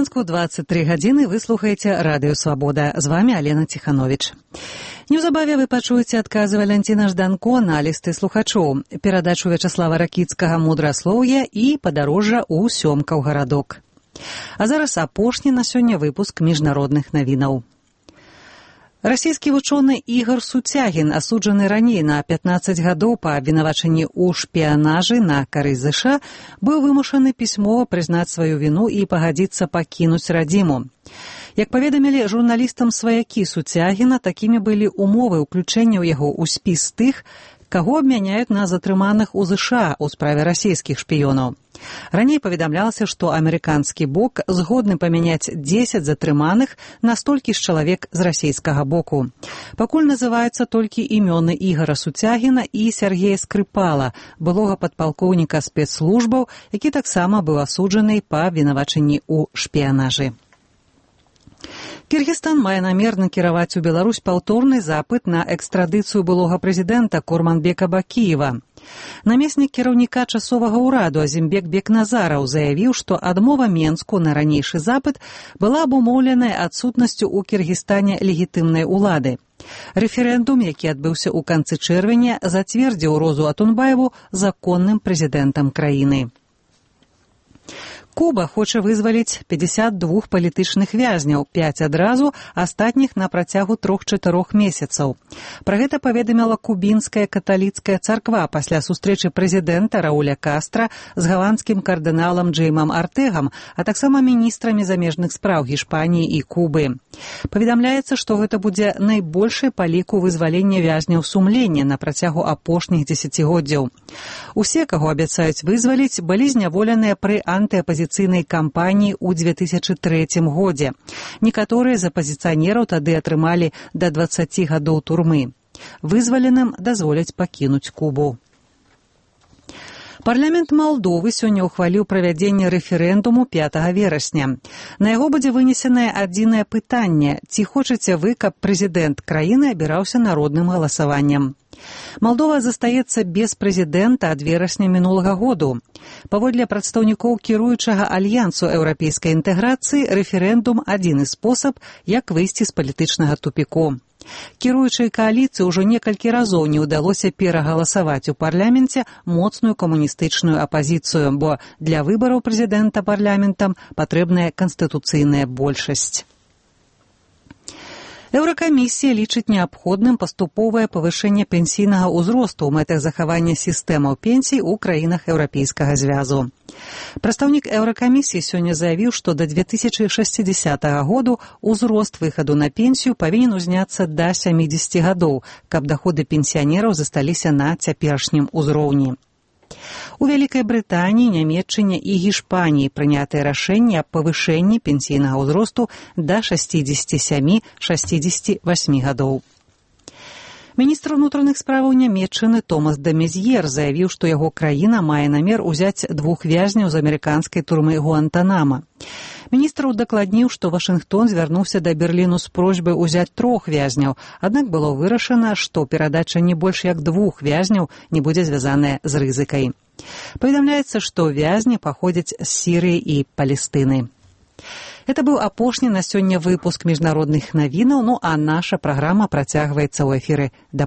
Мінску 23 гадзіны вы слухаеце Радыё Свабода. З вами Алена Ціхановіч. Неўзабаве вы пачуеце адказы Валянціна Жданко на лісты слухачоў, перадачу Вячаслава Ракіцкага «Мудраслоўе» і падарожжа ў Сёмкаў гарадок. А зараз апошні на сёння выпуск міжнародных навінаў. Расійскі вучоны Ігор Суцягін, асуджаны раней на 15 гадоў па абвінавачанні ў шпіянажы на карысць ЗША, быў вымушаны пісьмова прызнаць сваю віну і пагадзіцца пакінуць радзіму. Як паведамілі журналістам сваякі Суцягіна, такімі былі умовы ўключэння ў яго ў спіс тых, каго абмяняюць на затрыманых у ЗША ў справе расійскіх шпіёнаў. Раней паведамлялася, што амерыканскі бок згодны памяняць 10 затрыманых на столькі ж чалавек з расійскага боку. Пакуль называюцца толькі імёны Ігора Суцягіна і Сергея Скрыпала, былога падпалкоўніка спецслужбаў, які таксама быў асуджаны па абвінавачанні ў шпіянажы. Кыргызстан мае намер накіраваць у Беларусь паўторны запыт на экстрадыцыю былога прэзідэнта Курманбека Бакіева. Намеснік кіраўніка часовага ўраду Азімбек Бекназараў заявіў, што адмова Менску на ранейшы запыт была абумоўленая адсутнасцю ў Кыргызстане легітымнай улады. Рэферэндум, які адбыўся ў канцы чэрвеня, зацвердзіў Розу Атунбаеву законным прэзідэнтам краіны. Куба хоча вызваліць 52 палітычных вязняў, 5 адразу, астатніх на працягу 3-4 месяцаў. Пра гэта паведаміла кубінская каталіцкая царква пасля сустрэчы прэзідэнта Рауля Кастра з галандскім кардыналам Джэймам Артэгам, а таксама міністрамі замежных спраў Гішпаніі і Кубы. Паведамляецца, што гэта будзе найбольшы па ліку вызвалення вязняў сумлення на працягу апошніх дзесяцігоддзяў. Усе, каго абяцаюць вызваліць, былі зняволеныя пры антыапазіцыйнай кампаніі ў 2003 годзе. Некаторыя з апазіцыянераў тады атрымалі да 20 гадоў турмы. Вызваленым дазволяць пакінуць Кубу. Парламент Малдовы сёння ўхваліў правядзенне рэферэндуму 5 верасня. На яго будзе вынесенае адзінае пытанне: ці хочаце вы, каб прэзідэнт краіны абіраўся народным галасаваннем? Малдова застаецца без прэзідэнта ад верасня мінулага году. Паводле прадстаўнікоў кіруючага альянсу еўрапейскай інтэграцыі, рэферэндум – адзіны спосаб, як выйсці з палітычнага тупіку. Кіруючай кааліцыі ўжо некалькі разоў не ўдалося перагаласаваць у парламенце моцную камуністычную апазіцыю, бо для выбараў прэзідэнта парламентам патрэбная канстытуцыйная большасць. Еўракамісія лічыць неабходным паступовае павышэнне пенсійнага ўзросту ў мэтах захавання сістэмаў пенсій у краінах Еўрапейскага звязу. Прадстаўнік Еўракамісіі сёння заявіў, што да 2060 году ўзрост выхаду на пенсію павінен узняцца да 70 гадоў, каб даходы пенсіянераў засталіся на цяперашнім узроўні. У Вялікай Брытаніі, Нямецчыне і Гішпаніі прынятае рашэнне аб павышэнні пенсійнага ўзросту да 67-68 гадоў. Міністр унутраных справаў Нямецчыны Томас де Мезьер заявіў, што яго краіна мае намер узяць 2 вязняў з амерыканскай турмы Гуантанама. Міністр удакладніў, што Вашынгтон звярнуўся да Берліну з просьбай узяць 3 вязняў, аднак было вырашана, што перадача не больш як 2 вязняў не будзе звязаная з рызыкай. Паведамляецца, што вязні паходзяць з Сірыі і Палестыны. Это быў апошні на сёння выпуск міжнародных навінаў, а наша праграма працягваецца ў эфіры да